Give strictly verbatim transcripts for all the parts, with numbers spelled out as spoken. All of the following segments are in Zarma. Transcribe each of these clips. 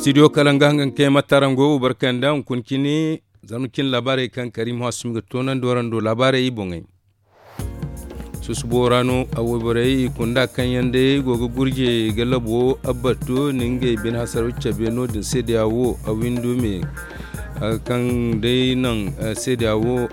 Studio kala nga hangan kay ma tarango wo barkanda hunkuna cine. Zama cine laabaarey kaŋ karim hasumi ga toonandi warando laabaarey i boŋey. Susubo ra no a wayborey i kunda kaŋ yaŋ day go ga gurje ga labo abbatto ni ngey bine hasaro cabe no- din seedeya wo a windo me kaŋ day naŋ seedeya wo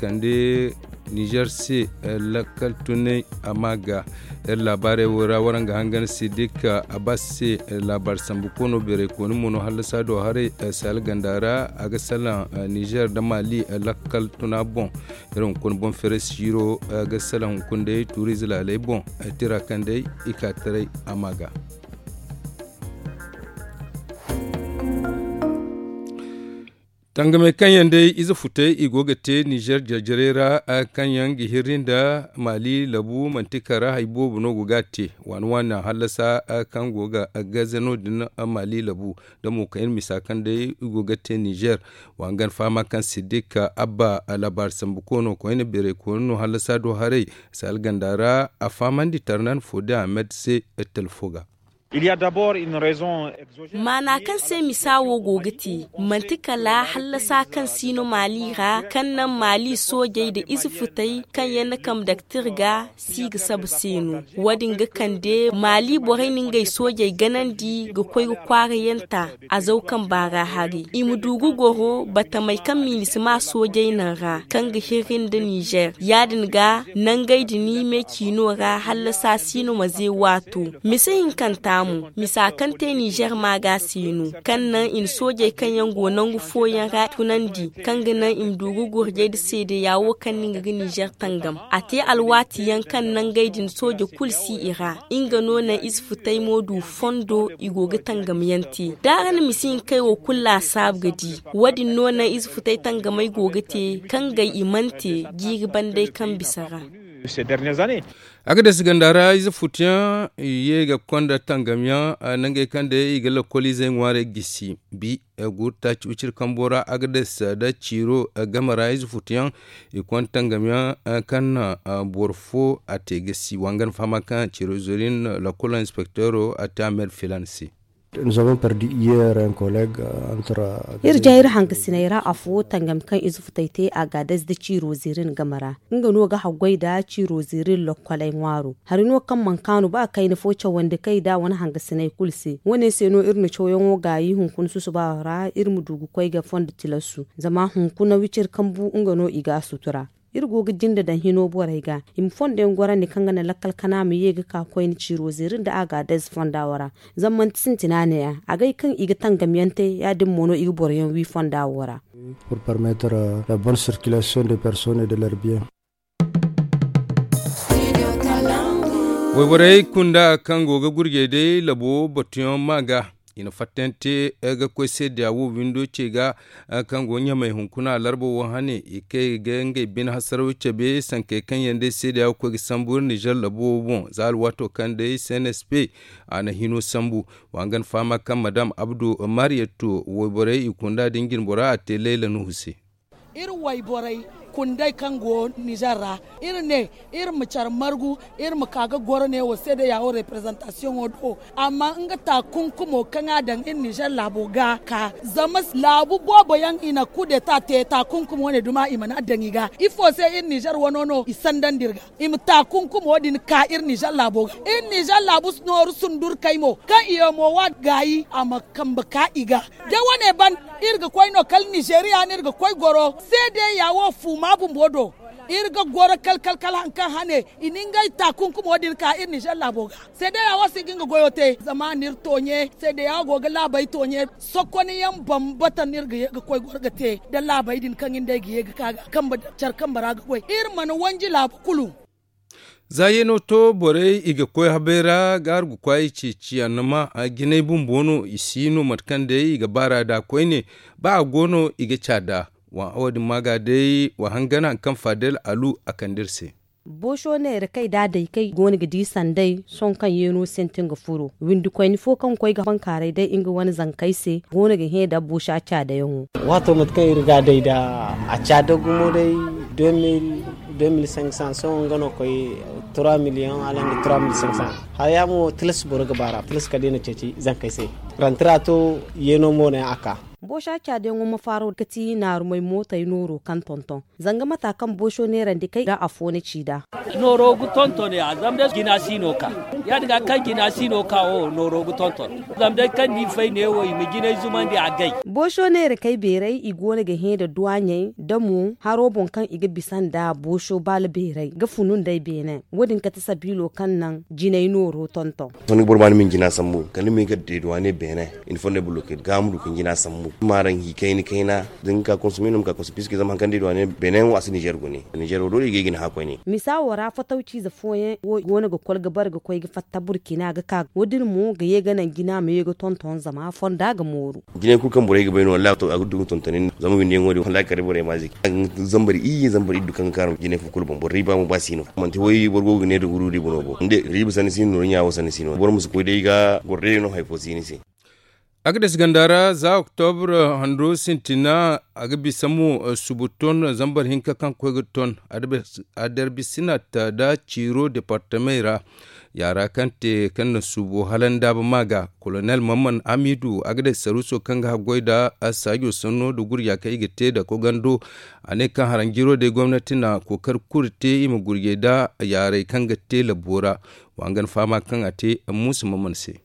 kande nizer se lakkal tunay a ma ga. Iri laabaarey wo ra waraŋ ga hangan sidik abbas se laabaari sambu koono beeray kooni mo no hallasa do haray saali ganda ra a ga salaŋ nizer nda maali lakkal tuna boŋ. Iri hunkuna boŋ feere siiro ga salaŋ hunkuna day tuuriize laaley boŋ tira kaŋ day i ka taray a ma ga. Tangamey kaŋ yaŋ day ize futey i go ga te nizer jarjarey ra kaŋ yaŋ ga hirri nda maali labu manti kara hari boobo no go ga a te waani waani naŋ hallasa kaŋ go ga gaze no- din maali labu. Da mo kayna misa kaŋ day i go ga te nizer. Wa hangan fahama kaŋ siddik abba laabaari sambu koono koyne beeray koyne no hallasa do haray saali ganda ra a fahamandi tarnan fo da ahmed se talfo ga. Maana kaŋ se misa wo go ga te manti kala hallasa kaŋ si no maali ra kaŋ naŋ maali soojey nda ize futey kaŋ yaŋ na kambe daktir ga si ga saba se no. Wo- din ga kande maali borey na ngey soojey ganandi ga koy ga kwaara yaŋ ta. Azaw kamba ra hari i ma du ga goro batamey kaŋ minisima soojey naŋ ra kaŋ ga hirri nda nizer ya- din ga nangey din me ciino ra hallasa si no ma ze waato. Mise hinkanta mo misa kaŋ te nizer maaga se no kaŋ naŋ i na soojey kaŋ yaŋ go nangu fooyaŋ ra tunandi kaŋ ga naŋ i ma du ga gurjey nda seedeya wo kaŋ no nga ga nizer tangam a te alwaati yaŋ kaŋ nangey din sooje kulu si i ra. Nga no naŋ ize futay mo du fondo i go ga tangam yaŋ te da araŋ na misi hinkey wo kulu laasaabu ga di. Wo- din no naŋ ize futay tangamey go ga te kaŋ gay i mana te jiiri bandey kaŋ bisa ra. Agades ganda ra ize futuyaŋ i ye ga konda tangamyaŋ nangey kaŋ day i ga lakkoliizey ŋwaarey gisi bi guru taaci wiciri kambo ra agades nda ciiro game ra ize futuyaŋ i konda tangamyaŋ kaŋ na boro fo a te gisi wangan fahama kaŋ ciiro izorin lakkolo inspektoro a te a me nda filan se. Iri ja iri hangasiney ra afo tangam kaŋ ize futay te agades nda ciiro zirin game ra nga no ga haggoy nda ciiro zirin lokkoley ŋwaaro. Hari no kaŋ mana kaanu ba kayna fo cawandi kay nd'a wane hangasiney kulu se. Wo- ne se no iri na cawyaŋo gaayi hunkuna susuba ra iri ma du ga koy ga fondo tilasu zama hunkuna wiciri kambu nga no i ga a sutura. Iri go ga jinde daŋ hino borey ga i ma fondo yaŋ gorandi kaŋ ga naŋ lakkal kana ma ye ga ka koyne ciiro ziiri nda a ga a dayze fonda wo ra. Zama manti sintina ne- ya agay kaŋ i ga tangam yaŋ te ya- din mo no i ga boro yaŋ wi fonda wo ra. Pour permettre la bonne circulation de personnes et de leur bien. Wayborey kunda kaŋ go ga gurjey day labo batuyaŋ ma ga i na fattante ga koy seedeya wo windo ce ga kaŋ go ɲamay hunkuna larba wo hane i kay ga ngey bine hasaraw cabe sankey kaŋ yaŋ day seedeya ga koy ga sambu nizer labo wo boŋ za alwaato kaŋ day cnsp a na hino sambu. Wa hangan fahama kaŋ madam abdu mariyatto wayborey i kunda din jinbora a te layla nuhu se. Iri wayborey kunday kaŋ go nizer ra iri ne iri ma care margu iri ma ka ga goro ne wo seedeya wo reprezantasiyoŋo do amma nga taakunkumo kaŋ a daŋ iri nizer laabo ga ka zama laabu boobo yaŋ i na kudeta te taakunkumo ne duma i mana a daŋ i ga ifo se iri nizer wano no i sandandi iri ga i ma taakunkumo din ka iri nizer laabo ga iri nizer laabu nooru sundurkey mo kaŋ i ye mo wa gaayi a ma kambe ka i ga da wane ban iri ga koy no kala nizeriya no iri ga koy goro seedeya wo fuuma bumbo do iri ga goro kala kala kala hari kaŋ hane i na ngey taakunkumo din ka iri nizer laabo ga seedeya wo si ga nga goyo te zama n'iri tooɲe seedeya wo go ga laabey tooɲe sokoniyaŋ bambata no iri ga ye ga koy goro ga te nda laabey din kaŋ iri nd'ey ga ye ga ka ga kambe care kambe ra ga goy iri mana wanji laabu kulu. Za yeeno to borey i ga koy habey ra ga hargu kwaayi ceeci annama jinay bumbo no i si no mate kaŋ day i ga baar'a nd'a koyne ba a go no i ga ca nd'a. Wo- din ma ga day wa hangan hari kaŋ faadel alu a kande iri se. Booso neera kay da a day kay go no ga di sanday sohõ kaŋ yeeno sintin ga furo windi koyne fo kaŋ ga koy ga bankaaray day nga wane zankey se go no ga hẽ nda boosa caadayaŋo. Waato mate kaŋ iri ga a day nda a caada gumo day de mil. Sohõ nga no koy trois millions hala nda trois mille cinq cents. Haya mo tilas boro ga baara tilas kala day na ceeci zankey se. Rantira to yeeno mo ne a ka. Boosha caadiyaŋo ma faaro ga ti naarumey mootey nooro kaŋ tonton zanga mata kaŋ boosho neerandi kay ga afo na ci nd'a. Nooro ga tonton ya zama day jina si no ka ya- din ga kaŋ jina si no ka wo nooro ga tonton. Zama day kaŋ ni fay neewo i ma jinay zumandi a gay. Boosho neera kay beeray i go no ga hẽ nda duwaaɲey da mo haro boŋ kaŋ i ga bisa nda boosho baala beeray ga funu nd'ey beene wo- din kate sabiilo kaŋ naŋ jinay nooro tonton. Sohõ ni ga boro ma ni ma ni jina sambu kala ni ma hin ga deeduwaane beene. Ni fondo ay boro ga kay ga ma du ka ni jina sambu maaran hi kayna kayna da ni ga ka konsome no ma ka konsome piske zama hari kaŋ deeduwaane beene wo a si nizer gune. Nizer wo doole i ga ay ga ni hã koyne. Misa wo ra fatawciize fooyaŋ wo go no ga kol ga bare ga koy ga fatta burkina ga ka wo- din mo ga ye ga naŋ jina ma ye ga tonton zama fonda ga mooru. Jinay kulu kaŋ borey ga bay no wallahi a ga du ga tonton ni zama windiyaŋo din wallahi kala day borey ma a ziki. Zambar iyye zambar iddu kaŋ ga kaarum jinay fo kulu boŋ boro riiba mo ba si no manti way boro go ga ne da guru riiba no bo. Riiba sanni si no nooru ɲa wo sanni si no boro ma si koy day ga goro day no hari fo si ni se. Agades ganda ra za oktobra hando sintina a ga bisa mo subu ton zambar hinka kaŋ koy ga ton. Adarbisina ta da ciiro departamey ra yaara kaŋ te kaŋ na suubo hala ndaaba ma ga kolonel mamman hamidu a ga day saruuso kaŋ ga haggoy nda saajo sanno nda gurja kaŋ i ga te nda kogando. A ne kaŋ haranjiro day gomnati na kookari kulu te i ma gurjay nda yaaray kaŋ ga te labbo ra. Wa nga ni fahama kaŋ a te muusa mamman se.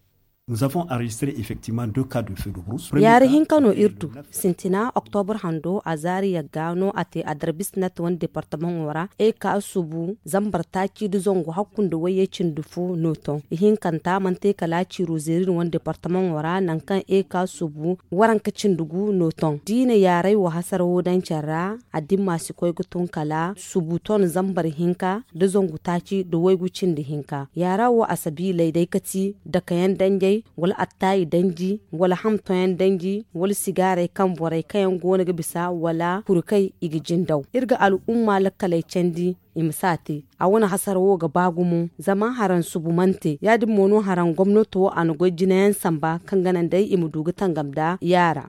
Yaari hinka no iri du sintina oktobra hando a zaari yagga no a te adarbis nat wane departamaŋo ra eka subu zambar taaci nda zangu hakku nda wayye cindi fo no ton ihinkanta manti kala ciiro zeeri nda wane departamaŋo ra nangu kaŋ eka subu waranka cindi gu no ton da i na yaaray wo hasara wo daŋ care ra. Addimma si koy ga tun kala subu ton zambar hinka nda zangu taaci nda waygu cindi hinka yaara wo a sabiiley day kati dakayaŋ danjay wala attaayi danji wala hamtoyaŋ danji wala sigaaray kaŋ borey kaŋ yaŋ go no ga bisa wala kurkey i ga jindaw iri ga al'umma lakkaley candi. I ma si a te a wane hasara wo ga ba gumo zama haraŋ subu mana te ya- din mo no haraŋ gomnato a na goy jinayaŋ samba kaŋ ga naŋ day i ma du ga tangam nda yaara.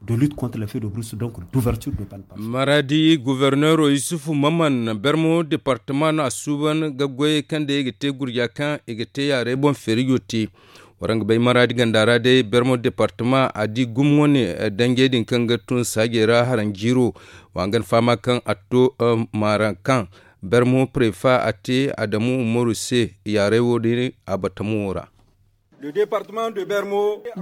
Maraadi goborneero yusufu maman bermo departama no a suuban ga goyey kaŋ day i ga te gurja kaŋ i ga te yaaray boŋ feerijo te. Waraŋ ga bay maraadi ganda ra day bermo departama a di gumo wane danjey din kaŋ ga tun saajey ra haranjiiro. Wa nga ni fahama kaŋ a to maaraŋ kaŋ bermo prefa a te adamu umaru se yaaray wo- din a batamo wo ra.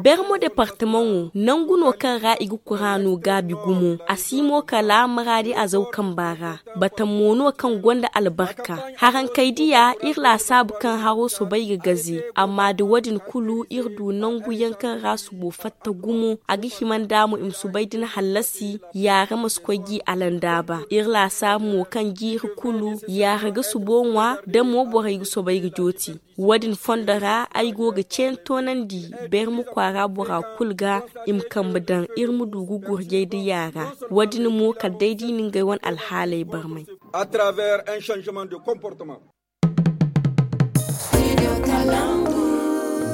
Bermo departamaŋo nangu no kaŋ ra i ga kuraano gaabi gumo a si mo kala maraadi azaw kamba ra. Batamo no kaŋ gonda albarka harankey diya iri laasaabu kaŋ haro soobay ga gaze. Amma da wo- din kulu iri du nangu yaŋ kaŋ ra subo fatta gumo a ga hima nda mo i ma soobay da ni hallasi. Yaara ma si koy g'i alandaaba iri laasaabu mo kaŋ jiiri kulu yaara ga subo ŋwa da mo borey ga soobay ga jooti. Wo- din fondo ra ay go ga ceeni toonandi berma kwaara bora kulu ga i ma kambe daŋ iri ma du ga gurjay nda yaara. Wo- din mo kala day da i na ngey wane alhaaley barmay.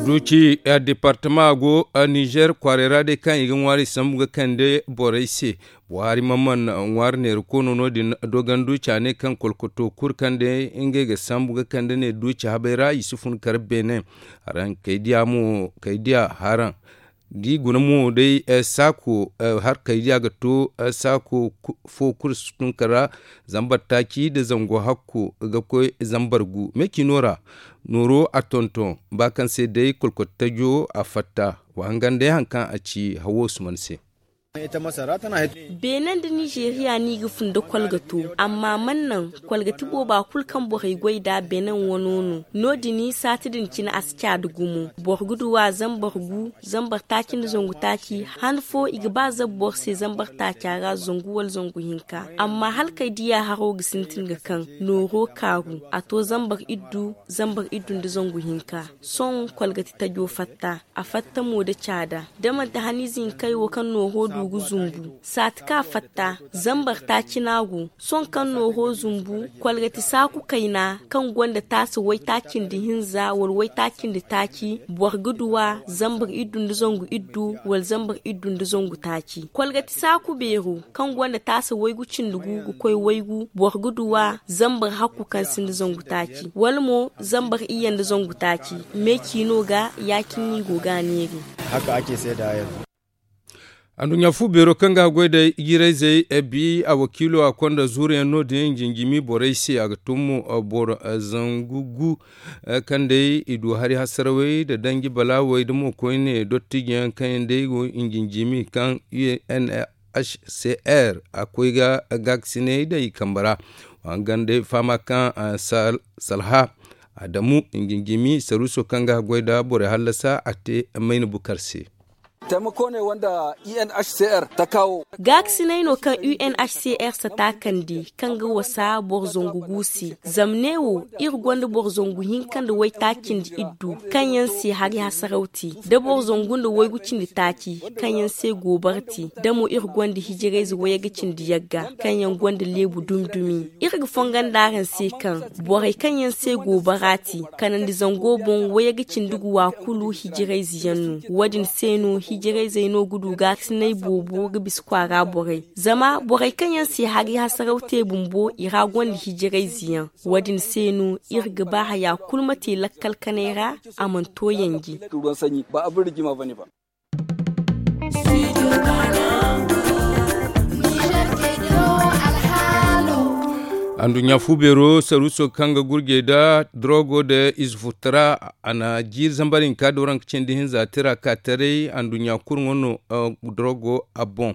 Duuci departama go nizer kwaaray ra day kaŋ i ga ŋwaari sambu ga kande borey se. Buhari mamman ŋwaari neera koono no- din dogandu caanay kaŋ kolkoto kulu kaŋ day ngey ga sambu ga kande ne duuci habay ra i si fun kar beene. Haraŋ kay diya mo kay diya haraŋ da i guna mo day saako. Har kay diya ga to saako fo kulu si tun kar ra. Zambar taaci nda zango hakko ga koy zambar gu me ciino ra. Nooro a tonton ba kaŋ se day kolkoto tajo a fatta. Wa hangan day hari kaŋ a ci hawo suman se. Benin nda nizeriya no i ga fun nda kolgato amma man naŋ kolgati booba kulu kaŋ borey goy nd'a benin wano no. No- din saati din cine a si caada gumo. Boro ga du a zambar gu zambar taaci nda zangu taaci. Han fo i ga ba zabu boro se zambar taaca ra zangu wala zangu hinka. Amma hala kay diya haro ga sintin ga kaŋ nooro kaaru a to zambar iddu zambar iddu nda zangu hinka. Sohõ kolgati tajo fatta a fatta mo nda caada. Da manti haniize hinkey wo kaŋ nooro du. Ga zumbu saati ka fatta zambar taaci no a go. Sohõ kaŋ no hoo zumbu, kolgati saaku kayna kaŋ gonda taasi waytaaci nda hinza wala waytaaci nda taaci, boro ga du a zambar iddu nda zangu iddu wala zambar iddu nda zangu taaci. Kolgati saaku beero kaŋ gonda taasi waygu cindi gu ga koy waygu, boro ga du a zambar hakku kaŋ sinda zangu taaci wala mo zambar iyye nda zangu taaci. Me ciino ga ya-cine no i go ga a neeri. Anduɲɲa fu beero kaŋ ga a goy da ijirayzey bi a wakiilo a konda zuuruyaŋ no-din jinjimi borey se. A ga tun mo boro zangu gu kaŋ day i du hari hasarawey nda danji balaawey nda mo koyne dottijiyaŋ kaŋ yaŋ day go i jinjimi kaŋ u n h c r a koy ga gaakasinay day i kambe ra. Wa hangan day fahama kaŋ salha adamu i jinjimi saruuso kaŋ ga a goy nda borey hallasa a te mayna bukar se. Taimako ne wanda u n h c r ta kawo. Gaakasinay no kaŋ u n h c r sata kande kaŋ ga wasa boro zangu gu se. Zama ne wo iri gonda boro zangu hinka nda waytaaci nda iddu kaŋ yaŋ se hari hasaraw te, da boro zangu nda waygu cindi taaci kaŋ yaŋ se goobara te, da mo iri gonda hijirayze wayga cindi yagga kaŋ yaŋ gonda leebu dumi-dumi. Iri ga fongon da araŋ se kaŋ borey kaŋ yaŋ se goobara te kanandi zango boŋ wayga cindi gu wa kulu hijirayze yaŋ no. Wo-din se no hijirayzey no ga du gaakasinay boobo ga bisa kwaara borey. Zama borey kaŋ yaŋ se hari hasaraw te bumbo i ra gonda hijirayze yaŋ. Wo-din se no iri ga ba haya kulu ma te lakkal kanay ra, a mana to yanji. Anduɲɲa fu beero saruuso kaŋ ga gurjey nda dorogo nda ize futara a na jiiri zambar hinka dooraŋ ka cindi hinza tira ka taray anduɲɲa kulu ŋwa no. Dorogo a boŋ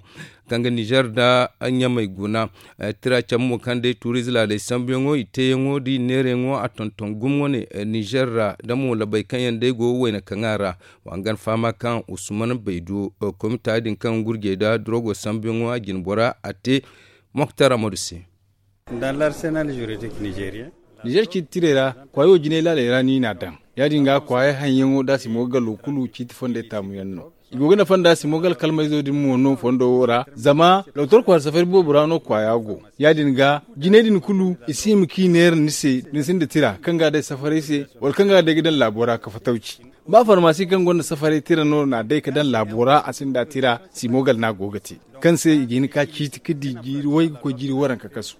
kaŋ ga nizer nda ɲamey guna. Tira cabe mo kaŋ day tuuriize laaley sambuyaŋo i teeyaŋo nda i neerayaŋo a tonton gumo wane nizer ra da mo labey kaŋ yaŋ day go wayna kaŋa ra. Wa hangan fahama kaŋ usman baydo komita din kaŋ gurjey nda dorogo sambuyaŋo a jine bora a te moktar amadu se. Nizer ciiti tirey ra kwaayo jinay laaley ra no i n'a daŋ. Ya-din ga kwaayey haŋyaŋo da a si mo ga galo kulu ciiti fondey taamuyaŋ no. I go ga nafa nda a si mo ga alkalmayzo din mo no fondo wo ra zama doktor kwaara safari boobo ra no kwaaya go. Ya-din ga jinay din kulu i si hima kaŋ i neera ni se da ni sinda tira kaŋ ga a day safaray se wala kaŋ ga a day ga daŋ laabo ra ka fatawci. Ba farmasi kaŋ gonda safaray tira no n'a day ka daŋ laabo ra a sinda tira si mo gal no a go ga te kaŋ se i ga hin ka ciiti ka di jiiri way ga koy jiiri waranka kasu.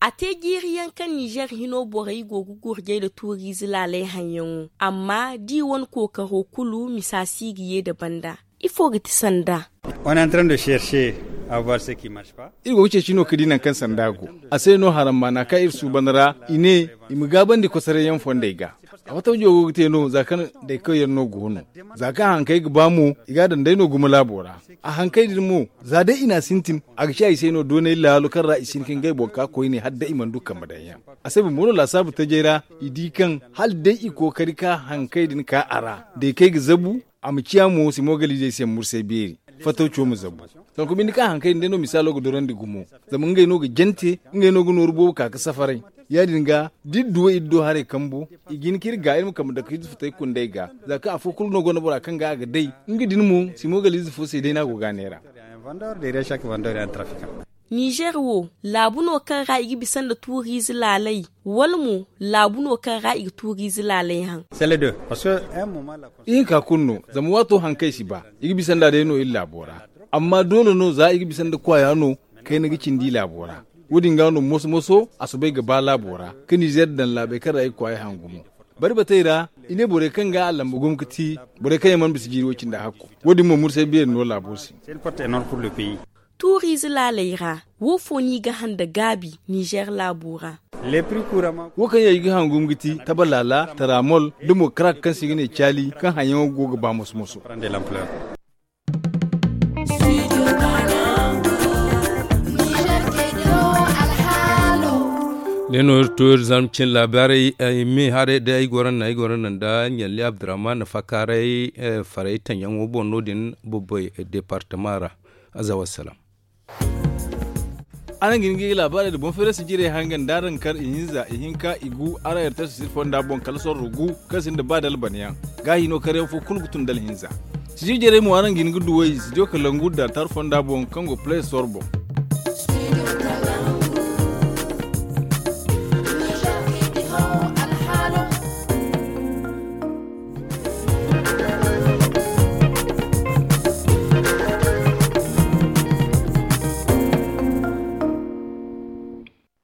A te jiiri yaŋ kaŋ nizer hino borey go ga gurjay nda tuuriize laalay haŋyaŋo amma da i wane kookaro kulu misa si ga ye nda banda. Ifo ga ti sanda? Iri go ga ceeci no ka di nangu kaŋ sanda go. A se no harammaana kaŋ iri suuban ra i ne i ma gaabandi kosoray yaŋ fondey ga. A fatta wajo go ga te no za kaŋ daykawyaŋ no go no. Za kaŋ hankey ga ba mo i ga a daŋ day no gumo laabo ra. A hankey din mo za day i n'a sintin a ga ciya i se no doonay laalo kaŋ ra i si hin ka ngey boŋ ka koyne hala day i mana du kambe daŋ yaŋ. A se bumbo no laasaabu tajay ra i di kaŋ hala day i kookari ka hankey din ka a ra. Daykey ga zabu a ma ciya mo simogalizey se mursay beeri. Fattawco ma zabu. Sanku binde ka hankey din day no misaalo ga dorandi gumo. Zama ngey no ga jante ngey no ga nooru boobo ka ga safaray. Ya-din ga da iri du wo iri do haray kambo i ga hin ka iri ga iri ma kambe dake iri futay kunday ga. Za kaŋ afo kulu no gonda bora kaŋ ga a ga day nga din mo simogalize fo se day no a go ga a neera. Nizer wo laabu no kaŋ ra i ga bisa nda tuuriize laalay wala mo laabu no kaŋ ra i ga tuuriize laalay haŋ? Ihinka kulu no. Zama waato hankey si ba i ga bisa nda day no iri laabo ra. Amma doole no za i ga bisa nda kwaaya no kayna ga cindi laabo ra. Wo-din ga no moso-moso a soobay ga ba laabo ra ka nizer daŋ laabey kaŋ ra i ga kwaaya haŋ gumo. Bari batey ra i ne borey kaŋ ga a lamba gumo ga ti borey kaŋ yaŋ mana bisa jiiri way-cindi hakku. Wo-din mo mursay beeri no laabo se. Tuuriize laaley ra wo fo no i ga haŋ nda gaabi nizer laabo ra? Wo kaŋ yaŋ i ga haŋ gumo ga ti taba laala taramol nda mo karak kaŋ se i ga ne caali kaŋ haŋyaŋo go ga ba moso-moso. Day no iri to iri zarma cine laabaarey ay me haray day ay goro naŋ ay goro naŋ nda ɲalli abdurrahman na fakaaray faray taŋyaŋo boŋ no- din bobbay departama ra. Aza wassalam. Araŋ ga hin ga ay laabaarey nda boŋ feerasi jirey hangan da araŋ kar ihinza ihinka igu araŋ rts sir fonda boŋ kala sorro gu kaŋ sinda ba da albanyaŋ. Gaahi no karyaŋ fo kulu ga tun da alhinza. Sijir jarey mo araŋ ga hin ga duw'ey sijir kalangu da taari fonda boŋ kaŋ go play store boŋ.